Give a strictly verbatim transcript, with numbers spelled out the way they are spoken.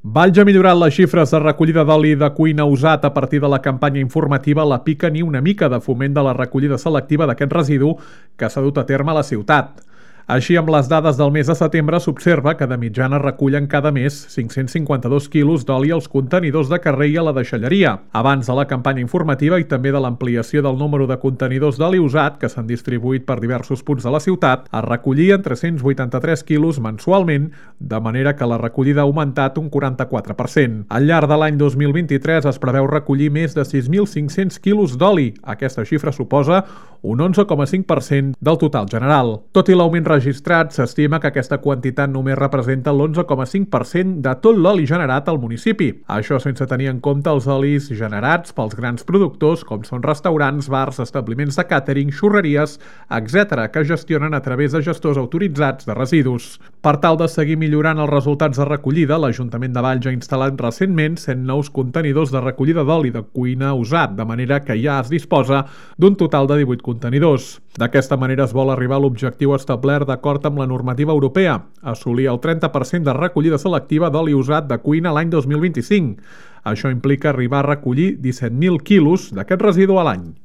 Valls ha millorat les xifres de recollida d'oli de cuina usat a partir de la campanya informativa La pica ni una mica de foment de la recollida selectiva d'aquest residu que s'ha dut a terme a la ciutat. Així, amb les dades del mes de setembre, s'observa que de mitjana recullen cada mes cinc-cents cinquanta-dos quilos d'oli als contenidors de carrer i a la deixalleria. Abans de la campanya informativa i també de l'ampliació del número de contenidors d'oli usat que s'han distribuït per diversos punts de la ciutat, es recollien tres-cents vuitanta-tres quilos mensualment, de manera que la recollida ha augmentat un quaranta-quatre per cent. Al llarg de l'any dos mil vint-i-tres es preveu recollir més de sis mil cinc-cents quilos d'oli. Aquesta xifra suposa un onze coma cinc per cent del total general. Tot i l'augment registrat, s'estima que aquesta quantitat només representa l'onze coma cinc per cent de tot l'oli generat al municipi. Això sense tenir en compte els olis generats pels grans productors, com són restaurants, bars, establiments de càtering, xurreries, etcètera, que gestionen a través de gestors autoritzats de residus. Per tal de seguir millorant els resultats de recollida, l'Ajuntament de Valls ha instal·lat recentment cent nous contenidors de recollida d'oli de cuina usat, de manera que ja es disposa d'un total de divuit contenidors. D'aquesta manera es vol arribar a l'objectiu establert d'acord amb la normativa europea, assolir el trenta per cent de recollida selectiva d'oli usat de cuina l'any dos mil vint-i-cinc. Això implica arribar a recollir disset mil quilos d'aquest residu a l'any.